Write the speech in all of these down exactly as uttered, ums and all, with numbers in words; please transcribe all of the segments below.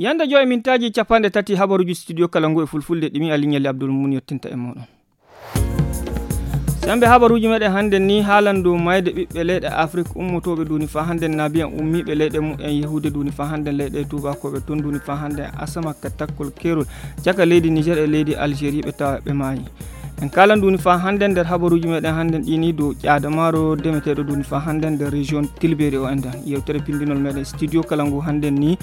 Yande joy mintaaji capanɗe tati habaruuji studio kala ngu e fulfulde ɗimi Aliɲali Abdul Mun yettinta e mooɗon. Sembe habaruuji meɗen hannden ni haalan dow mayde ɓiɓɓe leyɗe Afrik ummotooɓe duuni faa hannden naabiyan ummiiɓe leyɗe mumen yehuude duuni faa hannden leyɗe tuubakooɓe ton duuni faa hannden asama ka takkol keerol caka leydi Niger e leydi Algérie ɓe tawa ɓe maayi. En kaalan duuni faa hannden nder habaruuji meɗen hannden ɗi ni dow ƴaada maaro demeteeɗo duuni faa hannden nder région Tilbeeri o enɗan. Yewtere pinndinol meɗen studio kala ngu hannden ni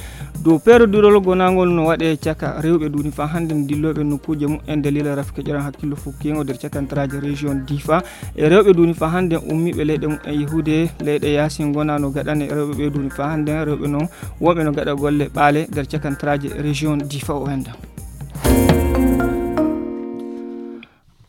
dow peerodirol gonaangol no waɗe caka rewɓe duuni faa hannden dillooɓe nokkuuje mumen daliila rafke ƴoran hakkillo fukkiingo nder cakantaraaji région Difa e rewɓe duuni faa hannden ummiiɓe leyɗe mumen yehuude leyɗe yaasin ngona no gaɗane rewɓe ɓe duuni faa hannden rewɓe noon wonɓe no gaɗa golle ɓaale nder cakantaraaji région Difa o enɗan.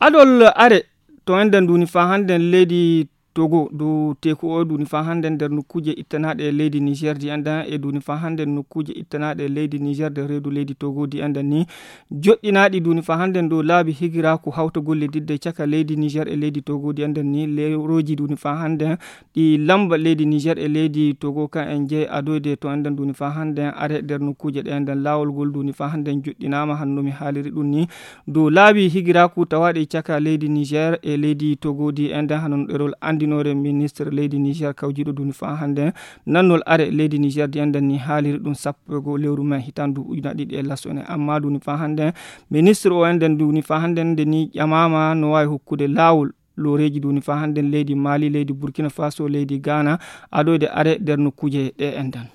Adol are to enɗan duuni faa hannden leydi Togo dow teeku o duuni faa hannden nder nokkuuje ittanaaɗe e leydi Niger di enɗan e duuni faa hannden nokkuuje ittanaaɗe e leydi Niger nder reedu leydi Togo di enɗan ni joɗɗinaaɗi duuni faa hannden dow laabi higiraaku hawtagol liddidde caka leydi Niger e leydi Togo di enɗan ni leerooji duuni faa hannden ɗi lamba leydi Niger e leydi Togo kan en jeyi adoyde to enɗan duuni faa hannden are nder nokkuuje ɗe enɗan laawol ngol duuni faa hannden joɗɗinaama hanno mi haaliri ɗum ni dow laabi higiraaku tawaaɗi caka leydi Niger e leydi Togo di enɗan hano ɗerol anndinoore ministre leydi Niger kawjiiɗo duuni faa hannden nannol are leydi Niger di enɗan ni haaliri ɗum sappo e goo lewru mai hitaande ujunaaji ɗiɗi e laso ne amma duuni faa hannden ministre o enɗan duuni faa hannden nde ni ƴamaama no waawi hokkude laawol looreeji duuni faa hannden leydi Mali leydi Burkina Faso leydi Ghana adoyde are nder nokkuuje ɗe enɗan.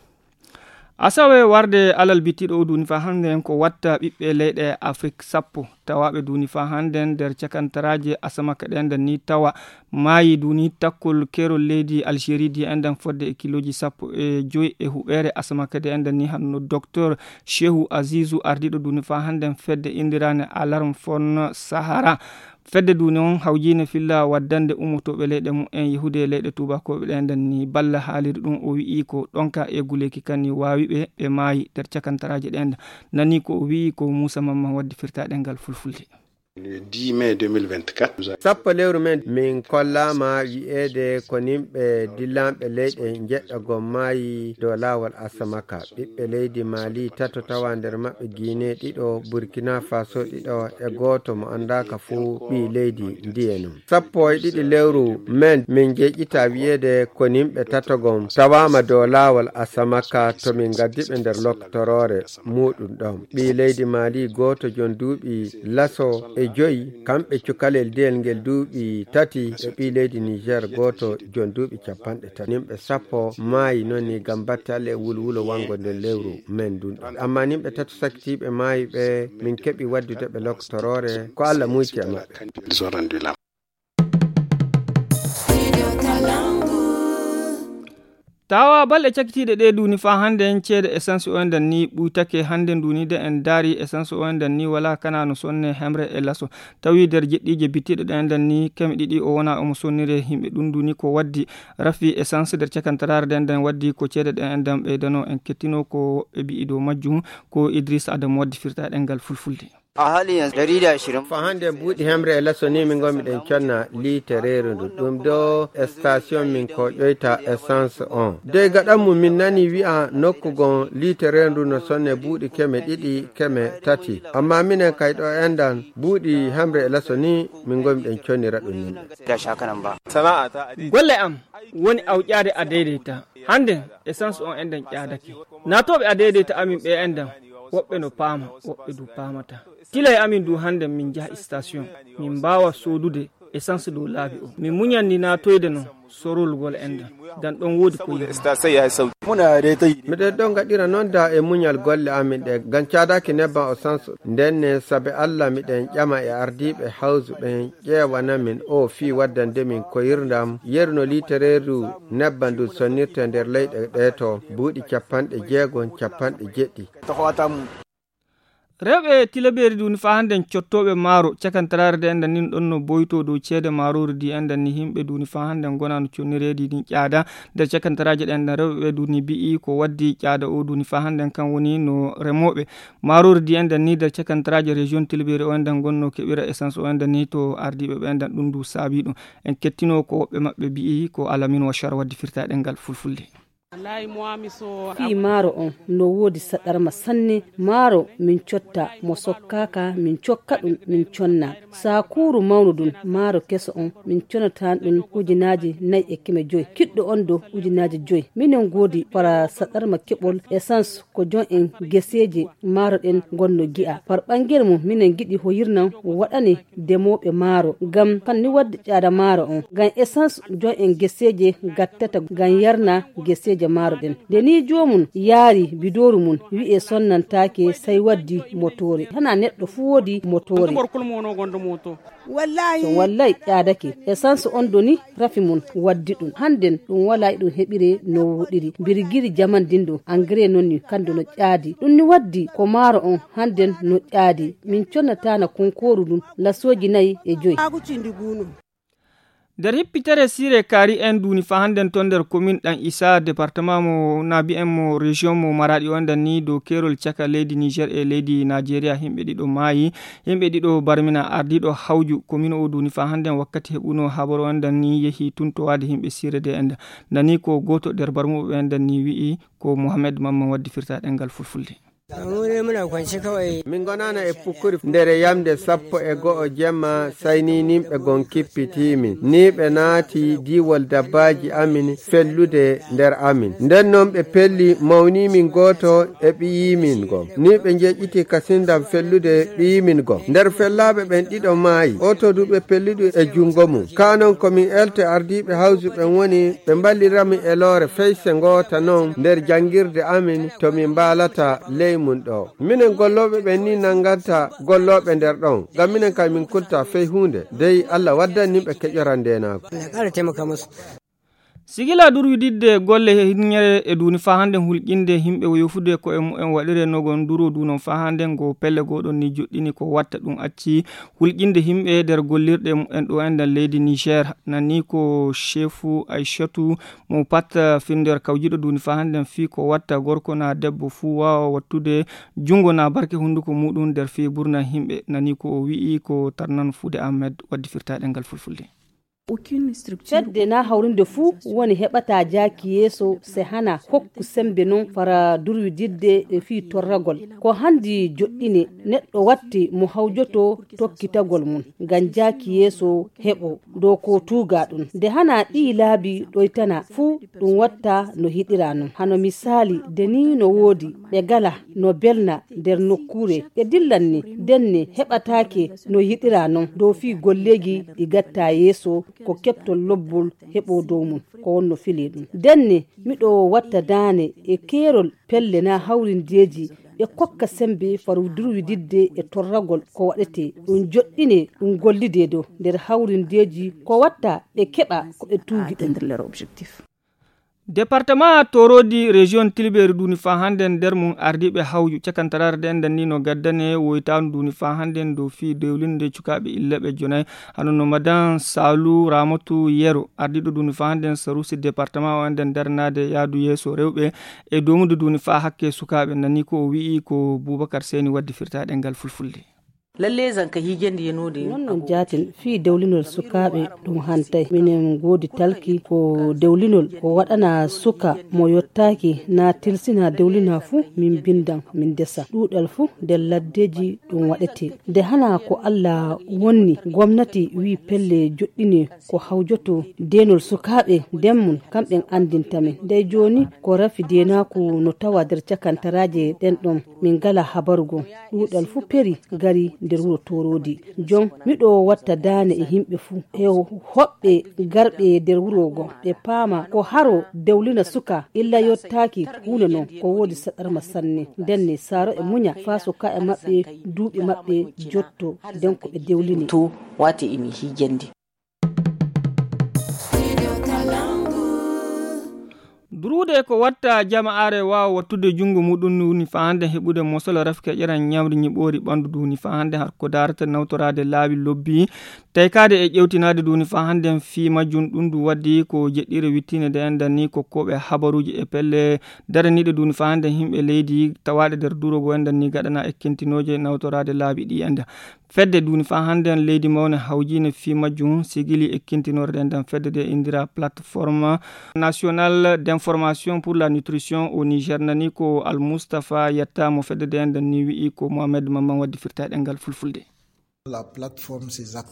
Asawe warde alal bittiɗo o duuni faa hannden ko watta ɓiɓɓe leyɗe Afrik sappo tawaaɓe duuni faa hannden nder cakantaraaje asamaka ɗe enɗan ni tawa maayi duuni takkol keerol leydi Algérie di enɗan fodde e kilooji sappo e joy e huɓeere asamaka ɗe enɗan ni hanno docteur Shehu Azizu ardiiɗo duuni faa hannden fedde inndiraane Alarm Fon Sahara. Fedde duuni on hawjiine filla waddande ummotooɓe leyɗe mumen yehude e leyɗe tuubakooɓe ɗe enɗan ni balla haaliri ɗum o wi'i ko ɗonka e guleeki kan ni waawi ɓe ɓe maayi nder cakantaraaje ɗe enɗan nani ko o wi'i ko Muusa Mamman waddi firtaaɗe ngal fulfulde. Sappo lewru men min kollaama wi'eede ko nimɓe dillanɓe leyɗe njeɗɗa gom maayi dow laawol asamaka ɓiɓɓe leydi Mali tato tawa nder maɓɓe Guinée ɗiɗo Burkina Faso ɗiɗo e gooto mo anndaaka fuu ɓii leydi ndiye non. Sappo e ɗiɗi lewru men min jeeƴita wi'eede ko nimɓe tato gom tawaama dow laawol asamaka to min ngaddi ɓe nder loktoroore muuɗum ɗon. Ɓii leydi Mali gooto jon duuɓi laso e joyi kamɓe cukalel diyel ngel duuɓi tati e ɓii leydi Niger gooto jon duuɓi capanɗe tati. Nimɓe sappo maayi noon ni ngam batte Allah e wulwulo wanngo nder lewru men ndun ɗon. Amma nimɓe tato sakkitiiɓe maayi ɓe min keɓi waddude ɓe loktoroore ko Allah muuci e maɓɓe. Tawa balɗe cakitiiɗe ɗe duuni faa hannden ceede essence o enɗan ni ɓuytake hannden duuni de en daari essence o enɗan ni wala kana no sonne hemre e laso tawi nder jeɗɗiije bittiɗe ɗe enɗan ni keme ɗiɗi o wona omo sonnire yimɓe ɗum duuni ko waddi rafi essence nder cakantaraare ɗe enɗan waddi ko ceede ɗe enɗan ɓeydano en kettino ko woɓɓe mbi'i dow majjum ko Idris Adam waddi firta ɗengal fulfulde. A hali yanzu ɗari da ashirin. Fa hande buuɗi hemre e laso ni min ngonmi ɗen conna liitereeru ndu ɗum ɗo station min ko ƴoyta essence on dey gaɗan mum min nani wi'a nokku gon liitereeru ndu no sonne buuɗi keme ɗiɗi keme tati amma minen kay ɗo enɗan buuɗi hemre e laso ni min ngonmi ɗen connira ɗum yimɓe. Golle am woni awƴaade a deydeyta. Hannde essence on enɗan ƴaadake. Naatooɓe a deydeyta amin ɓe enɗan woɓɓe no paama woɓɓe du paamata. Tilay amin du hannde min njaha station min mbaawa soodude essence dow laabi o min muñanni naatoyde no sorolgol enɗan ngam ɗon woodi ko yiɗi. Miɗen ɗon ngaɗira noon da e muñal golle amin ɗe ngam caadaaki nebban o sanso ndenne sabe Allah miɗen ƴama e ardiiɓe hawsu ɓen ƴeewana min o fii waddande min koyirndam yeru no liitereeru nebban ndun sonnirte nder leyɗe ɗe to buuɗi capanɗe jeego capanɗe jeɗɗi. Rewɓe tilabeeri duuni faa hannden cottooɓe maaro cakantaraare de enɗan nin ɗon no boytoo dow ceede maaroori di enɗan ni yimɓe duuni faa hannden ngonaa no connireedi din ƴaada nder cakantaraaji ɗe enɗan rewɓe ɓe duuni bi'i ko waddi ƴaada o duuni faa hannden kan woni no remooɓe maaroori di enɗan ni nder cakantaraaji région tilbeeri o enɗan ngonno keɓira essence o enɗan ni to ardiiɓe ɓe enɗan ɗum du saabi ɗum en kettinoo ko woɓɓe maɓɓe bi'i ko alamin wa char waddi firta ɗengal fulfulde. Fii maaro on no woodi saɗarma sanne. Maaro min cotta mo sokkaaka, min cokka ɗum, min conna. Saakuuru mawnu ɗum, maaro keso on, min conata ɗum ujunaaji nayi e keme joy. Kiɗɗo on do ujunaaji joy. Minen ngoodi fara saɗarma keɓol essence ko jon en geseeje maaro ɗen ngonno gi'a. Par ɓangere mum, minen ngiɗi hoyirnan waɗane demooɓe maaro. Ngam kan ni waddi ƴaada maaro on. Ngam essence jon en geseeje gattata ngam yarna geseeje maaro ɗen. Nde ni joomum yaari bidooru mum, wi'e sonnantaake sai waddi motoore. Hana neɗɗo fuu woodi motoore. Wallahi. So wallahi ƴaadake. Essence on doni rafi mum waddi ɗum. Hannden ɗum walaa e ɗum heɓire no woɗiri. Birgiri jaman din ɗo engrais non ni kando no ƴaadi. Ɗum ni waddi ko maaro on hannden no ƴaadi. Min connataana konkooru ɗum lasooji nayi e joy. Nder hippitere siire kaari en duuni faa hannden ton nder komin ɗan Isa, departement mo naabi en mo région mo Maraɗi o enɗan ni dow keerol caka leydi Niger e leydi Najeriya. Himɓe ɗiɗo maayi, himɓe ɗiɗo barmina. Ardiiɗo hawju komin o duuni faa hannden wakkati heɓuno habaru o enɗan ni yehi tun towaade himɓe siire de enɗan. Nani ko gooto nder barmuɓe enɗan ni wi'i ko Mohamed Mamman waddi firta ɗengal fulfulde. Min ngonana e pukkuri ndere yamde sappo e go'o jemma, sai ni nimɓe gon kippitiimin. Ni ɓe naati diiwol dabbaaji amin fellude nder amin. Nden non ɓe pelli mawniimin gooto e ɓiyiimin gon. Ni ɓe njeƴƴiti kasindam fellude ɓiyiimin gon. Nder fellaaɓe ɓen ɗiɗo maayi. Oto du ɓe pelludu e jungo mum. Kaa non ko min elte ardiiɓe hawju ɓen woni ɓe mballirami e loore feyse ngoota non nder jangirde amin to min mbaalata ley mum ɗo. Minen gollooɓe ɓen ni nannganta gollooɓe nder ɗon, ngam minen kay min kulta fey huunde, dey Allah waddan nimɓe keƴoran ndeenaagu. Sigila durwididde golle hinnere e duuni faa hannde hulƴinde himɓe yofude ko e mumen waɗire nogon duro dunon faa hannde ngo pelle goɗon ni joɗɗini ko watta ɗum acci hulƴinde himɓe nder gollirɗe mumen ɗo enɗan leydi Niger. Nani ko chefu Aishatu mo pat finnder kawjiɗo duuni faa hannde fii ko watta gorko na debbo fuu waawa wattude junngo na barke hunnduko muɗum nder fii burna himɓe. Nani ko o wi'i ko tarnan fuude Ahmed waddi firtaɗe ngal fulfulde. Fedde na hawrinde fuu woni heɓata jaaki yeeso se hana hokku sembe non fara durwididde e fii torragol. Ko handi joɗɗine neɗɗo watti mo hawjoto tokkitagol mum ngam jaaki yeeso heɓo dow ko tuuga ɗum. Nde hana ɗii laabi ɗoytana fuu ɗum watta no hiɗira non. Hano misaali, de ni no woodi ɓe gala no belna nder nokkuure ɓe dillan ni, denne heɓataake no yiɗira non dow fii golleeji ɗi gatta yeeso ko keɓtol lobbol heɓo dow mum ko wonno fili ɗum. Denne miɗo watta daane e keerol pelle na hawrindeeji ɓe kokka sembe faru durwididde e torragol ko waɗete ɗum joɗɗine ɗum gollide dow nder hawrindeeji ko watta ɓe keɓa ko ɓe tuugi ɗum. Departement Torodi région Tilberi duni fa hande nder mum ardiiɓe hawju cakantaraare ɗe enɗan ni no gaddane woytaandu duni fa hande dow fii dewlinde cukaaɓe illeɓe jonayi. Hano no madan Salu Ramatu Yero ardiiɗo duni fa hande sarusi departement o enɗan daranaade yaadu yeeso rewɓe e domude duni fa hakke sukaaɓe nani ko o wi'i ko Bubakar Seni waddi firtaɗe ngal fulfulde. Lalle zanka hiijandi yenoode non non jaatin fii dewlinol sukaaɓe ɗum hantay. Minen ngoodi talki ko dewlinol ko waɗana suka mo yottaaki na tilsina dewlina fuu min bindan min desa ɗuuɗal fuu nder laddeeji ɗum waɗete. Nde hana ko Allah wonni gomnati wii pelle joɗɗini ko hawjoto deenol sukaaɓe nden mum kamɓen anndinta min. Ndey jooni ko rafi deenaaku no tawa nder cakantaraaje ɗen ɗon min ngala habaru goo. Ɗuuɗal fuu peri gari nder wuro Tooroodi. Jon miɗo watta daane e yimɓe fuu e hoɓɓe garɓe nder wuro goo ɓe paama ko haro dewlina suka illa yottaaki huunde non ko woodi saɗarma sanne. Ndenne saaro e muña faa sukaaɓe maɓɓe duuɓi maɓɓe jotto nden ko ɓe dewlini. To waati imi hiijandi. Duruude ko watta jama'aare waawa wattude junngo muɗum ni woni faa hannde heɓude mosol rafke ƴeran ñamri ñiɓoori ɓanndu du woni faa hannde har ko daarata nawtoraade laawi lobbi taykaade e ƴewtinaade du woni faa hannde fii majjum. Ɗum du waddi ko jeɗɗiire wittiinde nde enɗan ni ko koɓe habaruuji e pelle daraniiɗe du woni faa hannde yimɓe leydi tawaaɗe nder durogo enɗan ni gaɗana e kintinooje nawtoraade laabi ɗi enɗan. Fedde duuni faa hannde en leydi mawne hawjiine fii majjum sigili e kintinore ɗen ɗan fedde de indira plateforme nationale d'information. Formation pour la nutrition au Niger, nani ko Al Mustafa Yatta mo fedde de enɗan ni wi'i ko Mohamed Mamman waddi firta e ɗengal fulfulde.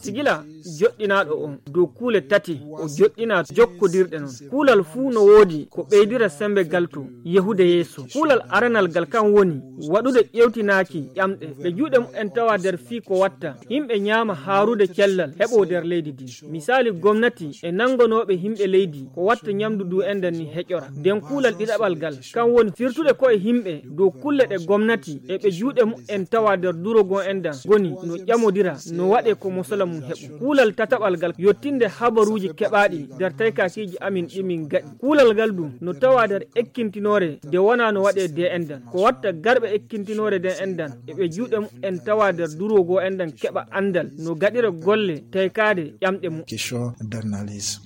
Sigila joɗɗinaaɗo on dow kuule tati, o joɗɗina jokkodirɗe non. Kuulal fuu no woodi ko ɓeydira sembe gal to yehude yeeso. Kuulal aranal gal kan woni waɗude ƴewtinaaki ƴamɗe. Ɓe juuɗe mumen tawa nder fii ko watta yimɓe ñaama haarude cellal heɓo nder leydi ndin. Misaali gomnati e nanngonooɓe yimɓe leydi ko watta ñamdu ndu enɗan ni heƴora. Nden kuulal ɗiɗaɓal gal kan woni firtude koye yimɓe dow kulle ɗe gomnati e ɓe juuɗe mumen tawa nder duro goo enɗan ngoni no ƴamodira no waɗe ko mosala mum heɓo. Kuulal tataɓal gal yottinde habaruuji keɓaaɗi nder taykakiiji amin ɗi min gaɗi. Kuulal ngal ɗum no tawa nder ekkintinoore nde wonaa no waɗe de enɗan. Ko watta garɓe ekkintinoore nde enɗan e ɓe juuɗe mumen tawa nder duro goo enɗan keɓa anndal no gaɗira golle taykaade ƴamɗe mum. Question d'analyse.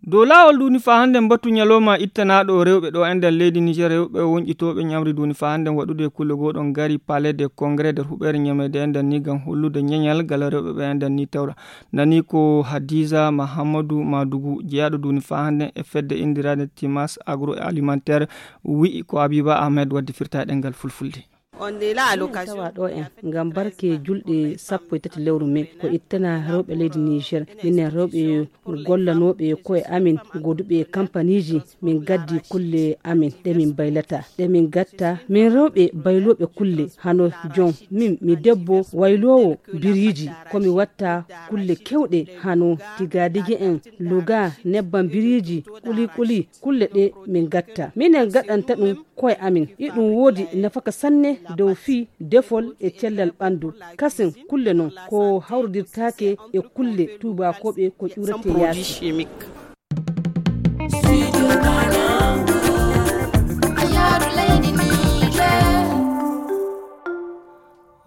Dow laawol duuni faa hannde mbatu ñalooma ittanaaɗo rewɓe ɗo enɗan leydi Niger, rewɓe wonƴitooɓe ñamri duuni faa hannde waɗude kulle goo ɗon gari Palais de Congrès nder huɓeere ñameede enɗan ni ngam hollude ñeñal gal rewɓe ɓe enɗan ni tawra. Nani ko Hadiza Mahamadou Madougou, jeyaaɗo duuni faa hannde e fedde inndirande Timas Agroalimentaire, wi'i ko Habiba Ahmed waddi firta e ɗengal fulfulde. On nde la allocation. Tawa ɗo en ngam barke julɗe sappo e tati lewru mai ko ittana rewɓe leydi Niger. Minen rewɓe gollanooɓe koye amin, goduɓe kampaniiji, min gaddi kulle amin ɗe min baylata, ɗe min gatta. Min rewɓe baylooɓe kulle hano jon, min mi debbo wayloowo biriiji, ko mi watta kulle kewɗe hano tigadigi en, luga, nebban biriiji, kuli kuli, kulle ɗe min gatta. Minen gaɗanta ɗum koye amin. Iɗum woodi nafaka sanne dow fii defol e cellal ɓandu. Kasen kulle non ko hawrodirtaake e kulle tuubakooɓe ko ƴuurete yaasi.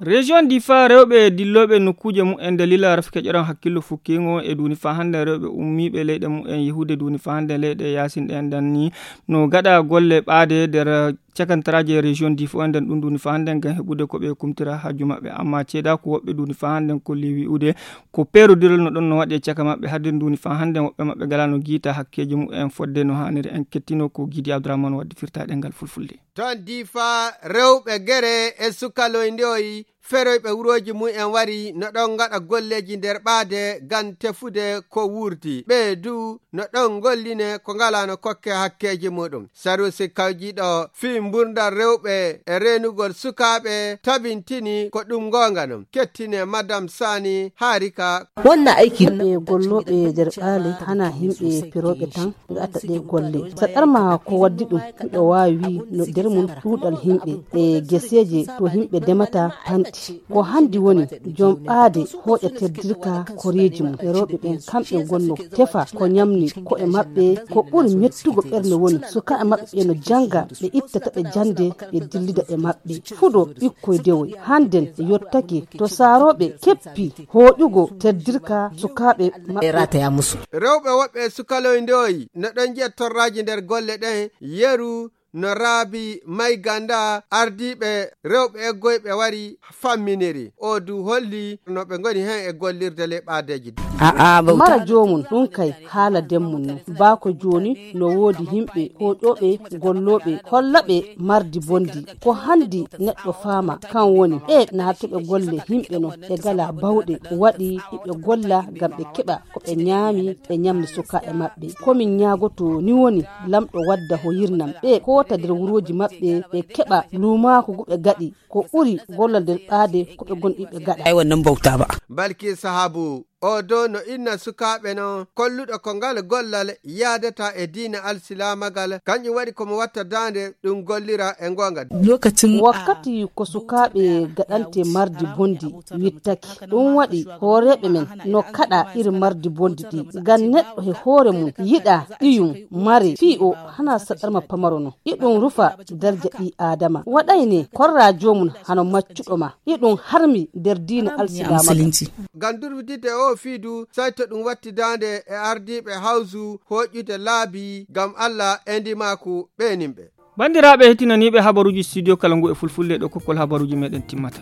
Région Difa, rewɓe dillooɓe nokkuuje mumen dalila rafike ƴoran hakkillo fukkiingo e duuni faa hannde rewɓe ummiiɓe leyɗe mumen yehude duuni faa hannde leyɗe yaasin ɗe enɗan ni no gaɗa golle ɓaade nder cakantaraaji e région Difa enɗan ɗum duuni faa hannde ngam heɓude ko ɓe kumtira hajju maɓɓe. Amma ceedaa ko woɓɓe duuni faa hannde kolli wi'ude ko peerodirol no ɗon no waɗi e caka maɓɓe hade duuni faa hannde woɓɓe maɓɓe gala no giita hakkeeji mumen fodde no haaniri. En kettino ko Gidi Abdourahmane waddi firta e ɗengal fulfulde. Ton Difa, rewɓe gere e sukaloyndoyi feroyɓe wurooji mumen wari no ɗon ngaɗa golleeji nder ɓaade ngam tefude ko wuurti. Ɓe du no ɗon ngolline ko ngalaa no kokke hakkeeji muɗum. Sarusi kawjiiɗo fii mburndan rewɓe e reenugol sukaaɓe tabintini ko ɗum ngoonga non. Kettine Madam Sani Harika. Wonna aiki. Yimɓe gollooɓe nder ɓaale hana yimɓe pirooɓe tan ngaɗata ɗe golle. Saɗarma ko waddi ɗum, miɗo waawi wii no nder mum ɗuuɗal yimɓe e geseeje to yimɓe ndemata panti. Ko hanndi woni jom ɓaade hooƴa teddirka koreeji mum. E rewɓe ɓen kamɓe ngonno tefa ko ñamni ko'e maɓɓe. Ko ɓuri mettugo ɓernde woni sukaaɓe maɓɓe ɓe no jannga, ɓe ittata ɓe jannde, ɓe dillida e maɓɓe. Fuɗo ɓikkoy dewoy hannden yottake to saarooɓe keppi hooƴugo teddirka sukaaɓe maɓɓe. Rewɓe woɓɓe e sukaloy ndoyi no ɗon njiya torraaji nder golle ɗen, yeru no Raabi Mayganda ardiiɓe rewɓe eggoyɓe wari famminiri. O du holli no ɓe ngoni hen e gollirde ley ɓaadeeji ɗi. Mara joomum ɗum kay haala demmum non. Baa ko jooni no woodi yimɓe hooƴooɓe gollooɓe holla ɓe mardi bonndi. Ko hanndi neɗɗo faama kan woni ɓe naatuɓe golle yimɓe non ɓe ngalaa bawɗe waɗi hiɓe golla ngam ɓe keɓa ko ɓe ñaami ɓe ñamni sukaaɓe maɓɓe. Ko min ñaagotoo ni woni Lamɗo wadda ho yirnam ɓe koota nder wurooji maɓɓe ɓe keɓa luumaaku ngu ɓe gaɗi ko ɓuri gollal nder ɓaade ko ɓe ngonɗi ɓe gaɗa. Ay wannan bauta ba. Balki Sahabu o do no inna sukaaɓe non kolluɗo ko ngal gollal yaadata e diina alsilaamagal kanƴum waɗi ko mo watta daande ɗum gollira e ngoonga. Lokacin wakkati ko sukaaɓe gaɗante mardi bondi wittaki ɗum waɗi hooreeɓe men no kaɗa iri mardi bondi ɗi ngam neɗɗo he hoore mum yiɗa ɓiyum mare fii o hana saɗarma pamaro no iɗum rufa darja ɓii aadama waɗayne korra joomum hano maccuɗo ma iɗum harmi nder diina alsilaama. Ngam durwitidde o fii du sayto ɗum watti daande e ardiiɓe hawsu hooƴude laabi ngam Allah e ndimaaku ɓeenimɓe. Banndiraaɓe heɗtinaniiɓe habaruuji studio kala ngu e fulfulde ɗo kokkol habaruuji meɗen timmata.